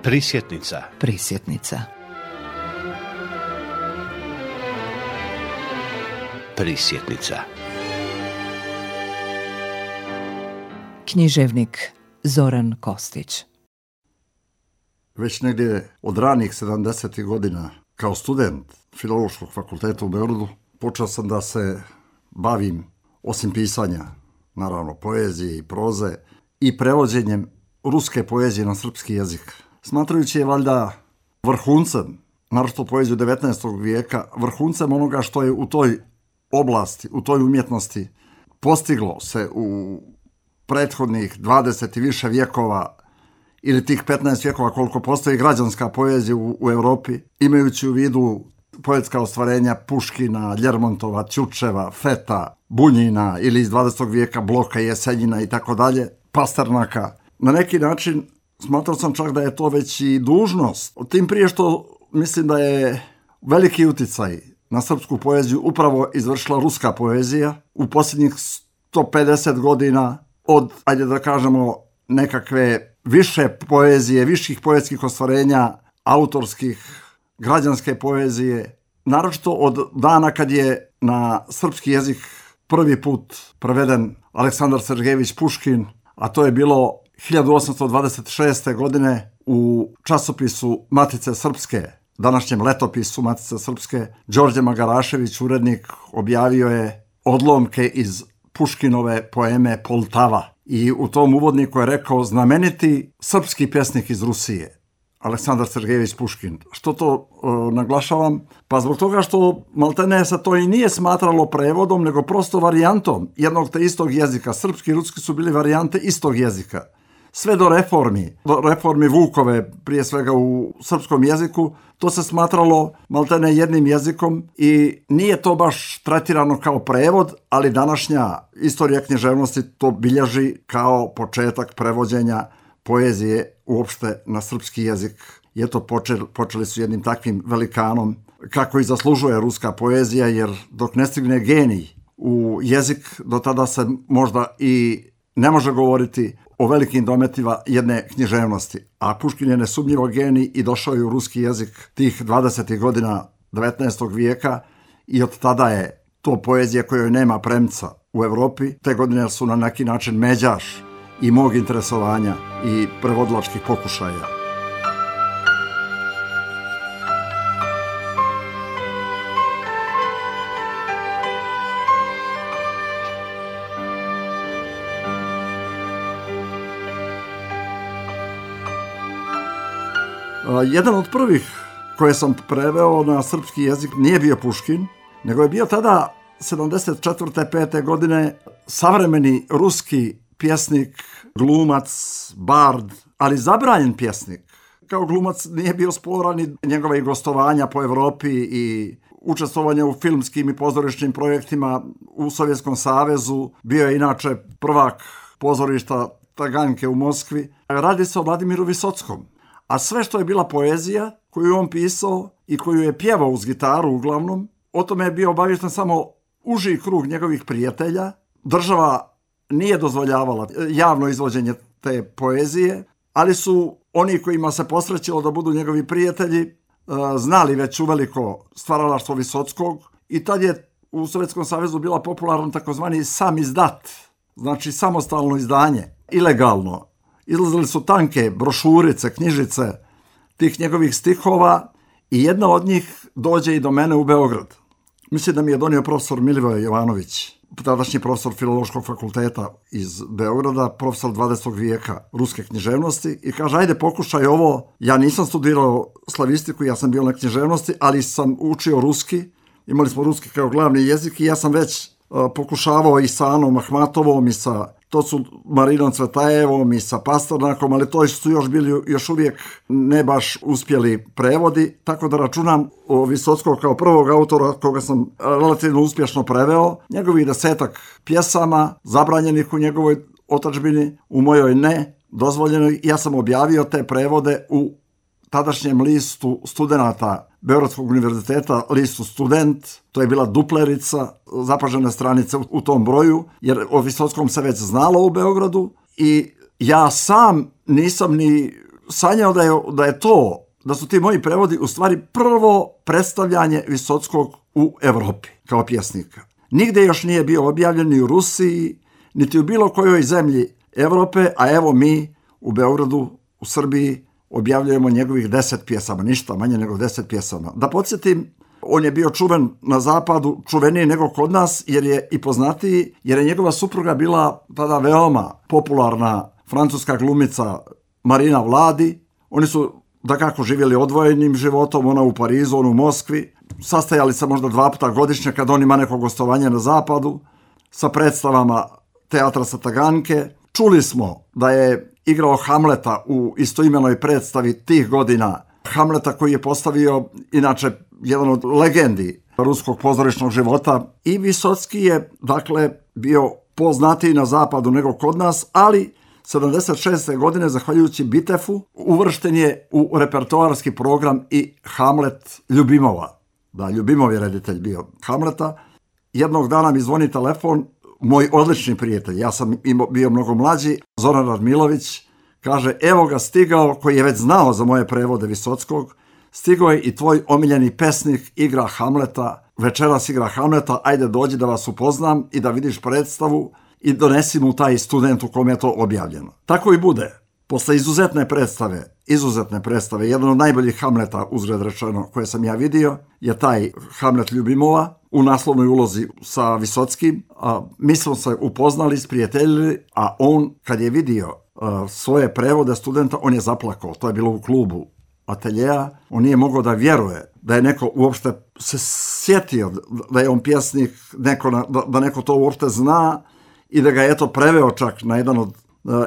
Prisjetnica. Prisjetnica. Prisjetnica. Književnik Zoran Kostić. Već negdje od ranih 70. godina, kao student Filološkog fakulteta u Beogradu, počeo sam da se bavim, osim pisanja, naravno, poezije i proze, i prevođenjem ruske poezije na srpski jezik. Smatrajući je valjda vrhuncem, naročito poeziju 19. vijeka, vrhuncem onoga što je u toj oblasti, u toj umjetnosti postiglo se u prethodnih 20 i više vjekova ili tih 15 vjekova koliko postoji građanska poezija u Europi, imajući u vidu poetska ostvarenja Puškina, Ljermontova, Ćučeva, Feta, Bunjina ili iz 20. vijeka Bloka, Jesenjina i tako dalje, Pasternaka. Na neki način smatrao sam čak da je to već i dužnost. Tim prije što mislim da je veliki uticaj na srpsku poeziju upravo izvršila ruska poezija u posljednjih 150 godina od, ajde da kažemo, nekakve više poezije, viših poetskih ostvarenja, autorskih, građanske poezije, naročito od dana kad je na srpski jezik prvi put preveden Aleksandar Sergejević Puškin, a to je bilo 1826. godine u časopisu Matice Srpske, današnjem letopisu Matice Srpske. Đorđe Magarašević, urednik, objavio je odlomke iz Puškinove poeme Poltava. I u tom uvodniku je rekao znameniti srpski pjesnik iz Rusije, Aleksandar Sergejević Puškin. Što to naglašavam? Pa zbog toga što maltene se to i nije smatralo prevodom, nego prosto varijantom jednog te istog jezika. Srpski i ruski su bili varijante istog jezika. Sve do reformi Vukove, prije svega u srpskom jeziku, to se smatralo maltene jednim jezikom i nije to baš tretirano kao prevod, ali današnja istorija književnosti to bilježi kao početak prevođenja poezije uopšte na srpski jezik. I eto, počeli su jednim takvim velikanom, kako i zaslužuje ruska poezija, jer dok ne stigne genij u jezik, do tada se možda i ne može govoriti o velikim dometima jedne književnosti. A Puškin je nesumnjivo genij i došao je u ruski jezik tih 20. godina 19. vijeka i od tada je to poezija kojoj nema premca u Europi. Te godine su na neki način međaš i mog interesovanja i prevodilačkih pokušaja. Jedan od prvih koje sam preveo na srpski jezik nije bio Puškin, nego je bio tada 74. 5. godine savremeni ruski pjesnik, glumac, bard, ali zabranjen pjesnik. Kao glumac nije bio sporan i njegove gostovanja po Europi i učestvovanje u filmskim i pozorišnim projektima u Sovjetskom savezu. Bio je inače prvak pozorišta Taganjke u Moskvi. Radi se o Vladimiru Visockom. A sve što je bila poezija koju on pisao i koju je pjevao uz gitaru uglavnom, o tome je bio obaviješten samo uži krug njegovih prijatelja. Država nije dozvoljavala javno izvođenje te poezije, ali su oni kojima se posrećilo da budu njegovi prijatelji znali već uveliko stvaralaštvo Visockog i tad je u Sovjetskom savezu bila popularna takozvani samizdat, znači samostalno izdanje, ilegalno. Izlazili su tanke brošurice, knjižice tih njegovih stihova i jedna od njih dođe i do mene u Beograd. Mislim da mi je donio profesor Milivoje Jovanović, tadašnji profesor Filološkog fakulteta iz Beograda, profesor 20. vijeka ruske književnosti i kaže, ajde pokušaj ovo. Ja nisam studirao slavistiku, ja sam bio na književnosti, ali sam učio ruski. Imali smo ruski kao glavni jezik i ja sam već pokušavao i sa Anom Ahmatovom i sa Marinom Cvetajevom i sa Pasternakom, ali to su još bili još uvijek ne baš uspjeli prevodi, tako da računam o Visockog kao prvog autora koga sam relativno uspješno preveo. Njegovih 10 pjesama, zabranjenih u njegovoj otadžbini, u mojoj ne, dozvoljenoj. Ja sam objavio te prevode u tadašnjem listu studenata Beogradskog univerziteta, listu Student. To je bila duplerica, zapažene stranice u tom broju, jer o Visockom se već znalo u Beogradu i ja sam nisam ni sanjao da su ti moji prevodi u stvari prvo predstavljanje Visockog u Evropi kao pjesnika. Nigde još nije bio objavljen ni u Rusiji, niti u bilo kojoj zemlji Evrope, a evo mi u Beogradu, u Srbiji, objavljujemo njegovih 10 pjesama, ništa manje nego 10 pjesama. Da podsjetim, on je bio čuven na zapadu, čuveniji nego kod nas, jer je i poznatiji, jer je njegova supruga bila tada veoma popularna francuska glumica Marina Vladi. Oni su dakako živjeli odvojenim životom, ona u Parizu, on u Moskvi. Sastajali se možda 2 puta godišnje kad on ima neko gostovanje na zapadu sa predstavama teatra sa Taganke. Čuli smo da je igrao Hamleta u istoimenoj predstavi tih godina. Hamleta koji je postavio inače jedan od legendi ruskog pozorišnog života. I Visocki je dakle bio poznatiji na zapadu nego kod nas, ali 76. godine, zahvaljujući Bitefu, uvršten je u repertoarski program i Hamlet Ljubimova. Da, Ljubimov je reditelj bio Hamleta. Jednog dana mi zvoni telefon, moj odlični prijatelj, ja sam bio mnogo mlađi, Zoran Radmilović, kaže, evo ga stigao, koji je već znao za moje prevode Visockog, stigao je i tvoj omiljeni pesnik, igra Hamleta, večeras igra Hamleta, ajde dođi da vas upoznam i da vidiš predstavu i donesi mu taj student u kom je to objavljeno. Tako i bude. Posle izuzetne predstave, jedan od najboljih Hamleta, uzgled rečeno, koje sam ja vidio, je taj Hamlet Ljubimova u naslovnoj ulozi sa Visockim. Mi smo se upoznali, sprijateljili, a on, kad je vidio svoje prevode studenta, on je zaplakao. To je bilo u klubu Ateljea. On nije mogao da vjeruje da je neko uopšte se sjetio da je on pjesnik, da neko to uopšte zna i da ga je eto preveo čak na jedan od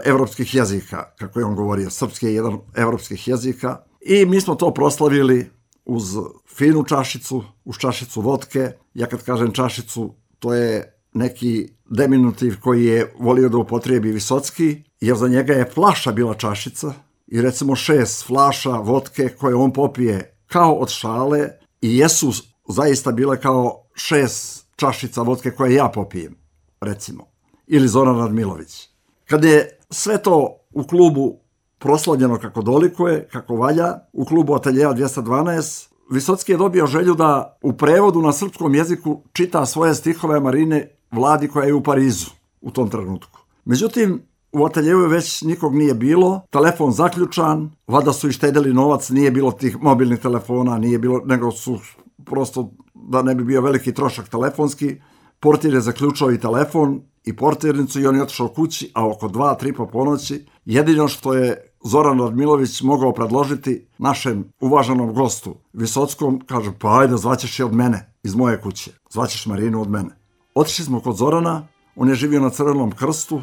evropskih jezika, kako je on govorio, srpski je jedan evropskih jezika. I mi smo to proslavili uz finu čašicu, uz čašicu vodke. Ja kad kažem čašicu, to je neki diminutiv koji je volio da upotrijebi Visocki, jer za njega je flaša bila čašica i recimo 6 flaša vodke koje on popije kao od šale i jesu zaista bile kao 6 čašica vodke koje ja popijem, recimo. Ili Zoran Radmilović. Kad je sve to u klubu proslavljeno kako dolikuje, kako valja, u klubu Ateljea 212, Visocki je dobio želju da u prevodu na srpskom jeziku čita svoje stihove Marine Vladi koja je u Parizu u tom trenutku. Međutim, u Ateljeu već nikog nije bilo, telefon zaključan, valjda su i štedeli novac, nije bilo tih mobilnih telefona, nije bilo, nego su prosto, da ne bi bio veliki trošak telefonski, portir je zaključao i telefon i portirnicu i on je otišao kući, a oko 2-3 po ponoći jedino što je Zoran Radmilović mogao predložiti našem uvaženom gostu Visockom, kaže, pa ajde, zvaćeš je od mene, iz moje kuće, zvaćeš Marinu od mene. Otišli smo kod Zorana, on je živio na Crvenom Krstu,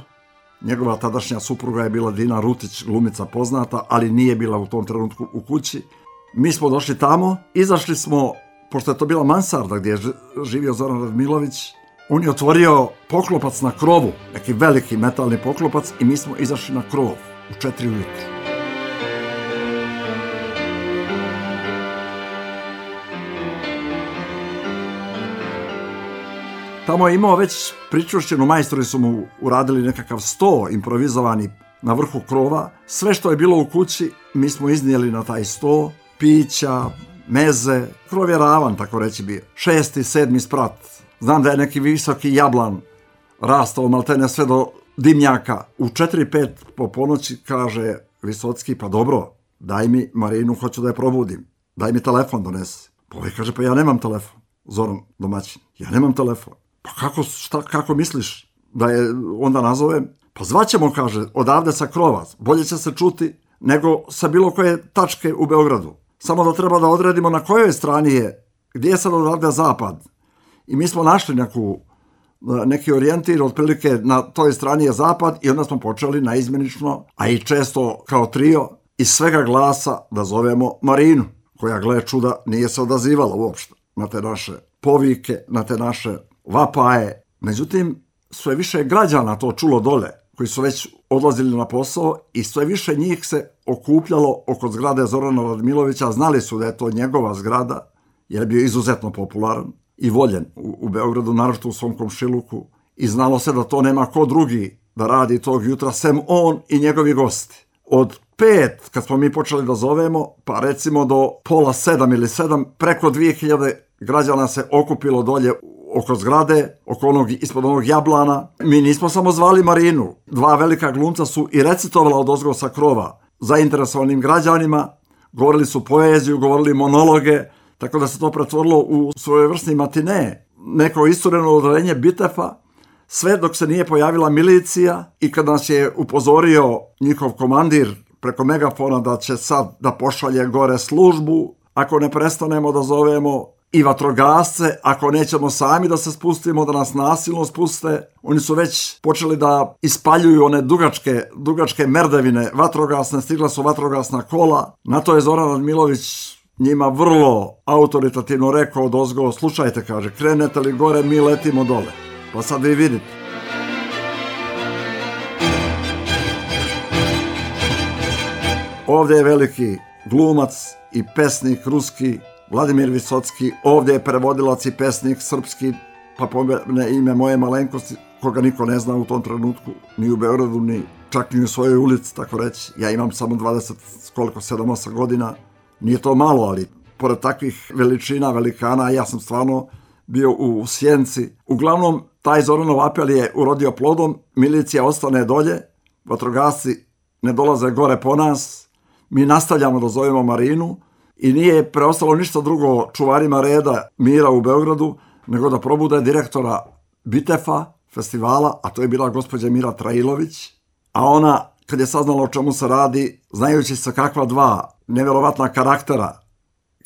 njegova tadašnja supruga je bila Dina Rutić, glumica poznata, ali nije bila u tom trenutku u kući. Mi smo došli tamo, izašli smo, pošto je to bila mansarda gdje je živio Zoran Radmilović, on je otvorio poklopac na krovu, neki veliki metalni poklopac i mi smo izašli na krov u 4 ujutru. Tamo je imao već pričušćenu, majstori su mu uradili nekakav sto improvizovani na vrhu krova. Sve što je bilo u kući mi smo iznijeli na taj sto, pića, meze, krov je ravan, tako reći bio. 6. 7. sprat. Znam da je neki visoki jablan rastao maltene sve do dimnjaka. U 4-5 po ponoći kaže Visocki, pa dobro, daj mi Marinu, hoću da je probudim. Daj mi telefon donesi. Pa ovaj kaže, pa ja nemam telefon. Zoran domaćin, ja nemam telefon. Pa kako misliš da je onda nazovem? Pa zvaćemo, kaže, odavde sa krova. Bolje će se čuti nego sa bilo koje tačke u Beogradu. Samo da treba da odredimo na kojoj strani je, gdje je sad odavde zapad. I mi smo našli neki orijentir, otprilike na toj strani je zapad i onda smo počeli naizmjenično, a i često kao trio, iz svega glasa da zovemo Marinu, koja, gle čuda, nije se odazivala uopšte na te naše povike, na te naše vapaje. Međutim, sve više građana to čulo dole, koji su već odlazili na posao i sve više njih se okupljalo oko zgrade Zorana Radmilovića. Znali su da je to njegova zgrada, jer je bio izuzetno popularan i voljen u Beogradu, naročito u svom komšiluku, i znalo se da to nema ko drugi da radi tog jutra, sem on i njegovi gosti. Od 5, kad smo mi počeli da zovemo, pa recimo do pola 7 ili 7, preko 2000 građana se okupilo dolje oko zgrade, ispod onog jablana. Mi nismo samo zvali Marinu. 2 velika glumca su i recitovala odozgo sa krova zainteresovanim građanima, govorili su poeziju, govorili monologe, tako da se to pretvorilo u svojevrsni matine, neko istureno odeljenje Bitefa, sve dok se nije pojavila milicija i kad nas je upozorio njihov komandir preko megafona da će sad da pošalje gore službu, ako ne prestanemo da zovemo i vatrogasce, ako nećemo sami da se spustimo, da nas nasilno spuste. Oni su već počeli da ispaljuju one dugačke merdevine vatrogasne, stigla su vatrogasna kola. Na to je Zoran Radmilović njima vrlo autoritativno rekao odozgo: slušajte, kaže, krenete li gore, mi letimo dole. Pa sad vi vidite. Ovdje je veliki glumac i pesnik ruski Vladimir Visocki, ovdje je prevodilac i pesnik srpski, pa pomene ime moje malenkosti, koga niko ne zna u tom trenutku, ni u Beogradu, ni čak ni u svojoj ulici, tako reći. Ja imam samo 7-8 godina, nije to malo, ali pored takvih veličina, velikana, ja sam stvarno bio u sjenci. Uglavnom, taj Zoranov apel je urodio plodom, milicija ostane dolje, vatrogasci ne dolaze gore po nas, mi nastavljamo da zovemo Marinu i nije preostalo ništa drugo čuvarima reda mira u Beogradu nego da probude direktora Bitefa, festivala, a to je bila gospođa Mira Trailović, a ona, kad je saznala o čemu se radi, znajući se kakva 2 nevjerovatna karaktera,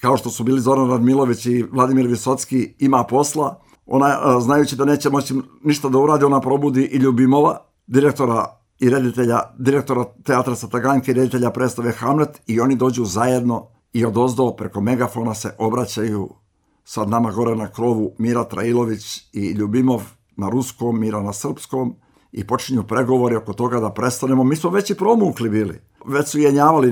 kao što su bili Zoran Radmilović i Vladimir Visocki, ima posla, ona, znajući da neće moći ništa da uradi, ona probudi i Ljubimova, direktora i reditelja, direktora teatra Sataganjke i reditelja predstave Hamlet, i oni dođu zajedno i odozdo preko megafona se obraćaju sad nama gore na krovu Mira Trailović i Ljubimov na ruskom, Mira na srpskom, i počinju pregovori oko toga da prestanemo. Mi smo već i promukli bili, već su jenjavali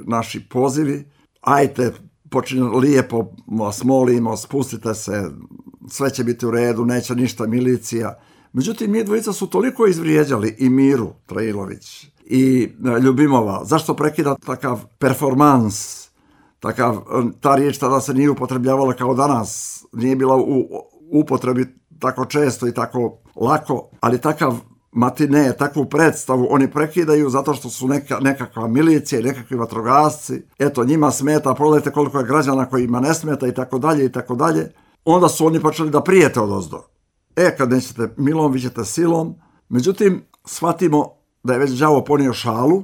naši pozivi, ajte, počinju lijepo, vas molimo, spustite se, sve će biti u redu, neće ništa milicija. Međutim, mi dvojica su toliko izvrijeđali i Miru Trailović i Ljubimova. Zašto prekida takav performans, ta riječ tada se nije upotrebljavala kao danas, nije bila u upotrebi tako često i tako lako, ali takav matine, takvu predstavu oni prekidaju zato što su nekakva milicija i nekakvi vatrogasci. Eto, njima smeta, pogledajte koliko je građana kojima ne smeta i tako dalje i tako dalje. Onda su oni počeli da prijete odozdo. Kad nećete milom, vi ćete silom. Međutim, shvatimo da je već đavo ponio šalu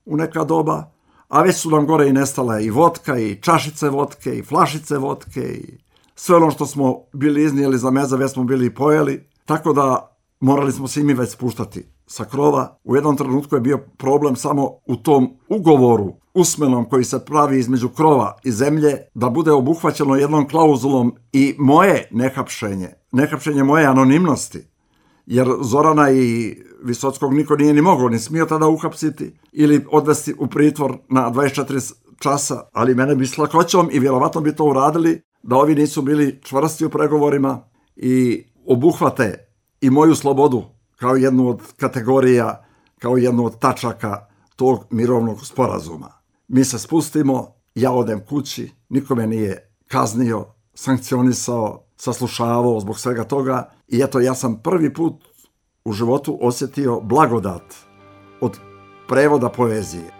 u neka doba, a već su nam gore i nestale i vodka, i čašice vodke, i flašice vodke, i sve ono što smo bili iznijeli za meze, već smo bili i pojeli, tako da morali smo se i mi već spuštati sa krova. U jednom trenutku je bio problem samo u tom ugovoru usmenom koji se pravi između krova i zemlje, da bude obuhvaćeno jednom klauzulom i moje nehapšenje moje anonimnosti, jer Zorana i Visockog niko nije ni mogao, ni smio tada uhapsiti ili odvesti u pritvor na 24 časa, ali mene bi s lakoćom i vjerovatno bi to uradili da ovi nisu bili čvrsti u pregovorima i obuhvate i moju slobodu kao jednu od kategorija, kao jednu od tačaka tog mirovnog sporazuma. Mi se spustimo, ja odem kući, niko me nije kaznio, sankcionisao, saslušavao zbog svega toga, i eto, ja sam prvi put u životu osjetio blagodat od prevoda poezije.